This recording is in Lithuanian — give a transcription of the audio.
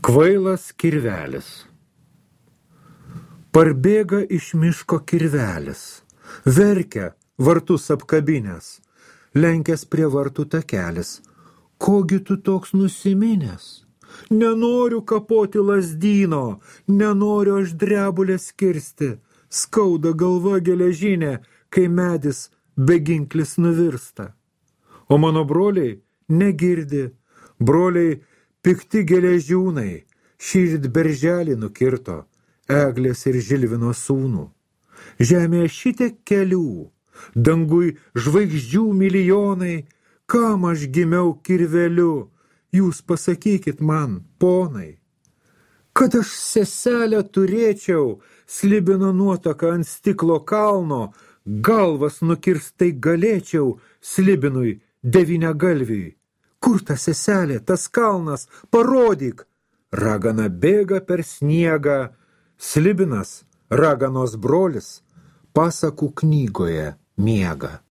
Kvailas kirvelis. Parbėga iš miško kirvelis, verkia vartus apkabinęs, lenkęs prie vartų takelis. Kogi tu toks nusiminęs? Nenoriu kapoti lazdyno, nenoriu aš drebulės kirsti, skauda galva geležinė, kai medis beginklis nuvirsta. O mano broliai negirdi, broliai pikti geležiūnai, šįryt berželį nukirto, Eglės ir Žilvino sūnų. Žemėje šitiek kelių, dangui žvaigždžių milijonai, kam aš gimiau kirveliu, jūs pasakykit man, ponai. Kad aš seselę turėčiau, Slibino nuotaka ant stiklo kalno, galvas nukirstai galėčiau Slibinui devyniagalviui. Kur ta seselė, tas kalnas, parodyk. Ragana bėga per sniegą, Slibinas, raganos brolis, pasakų knygoje miega.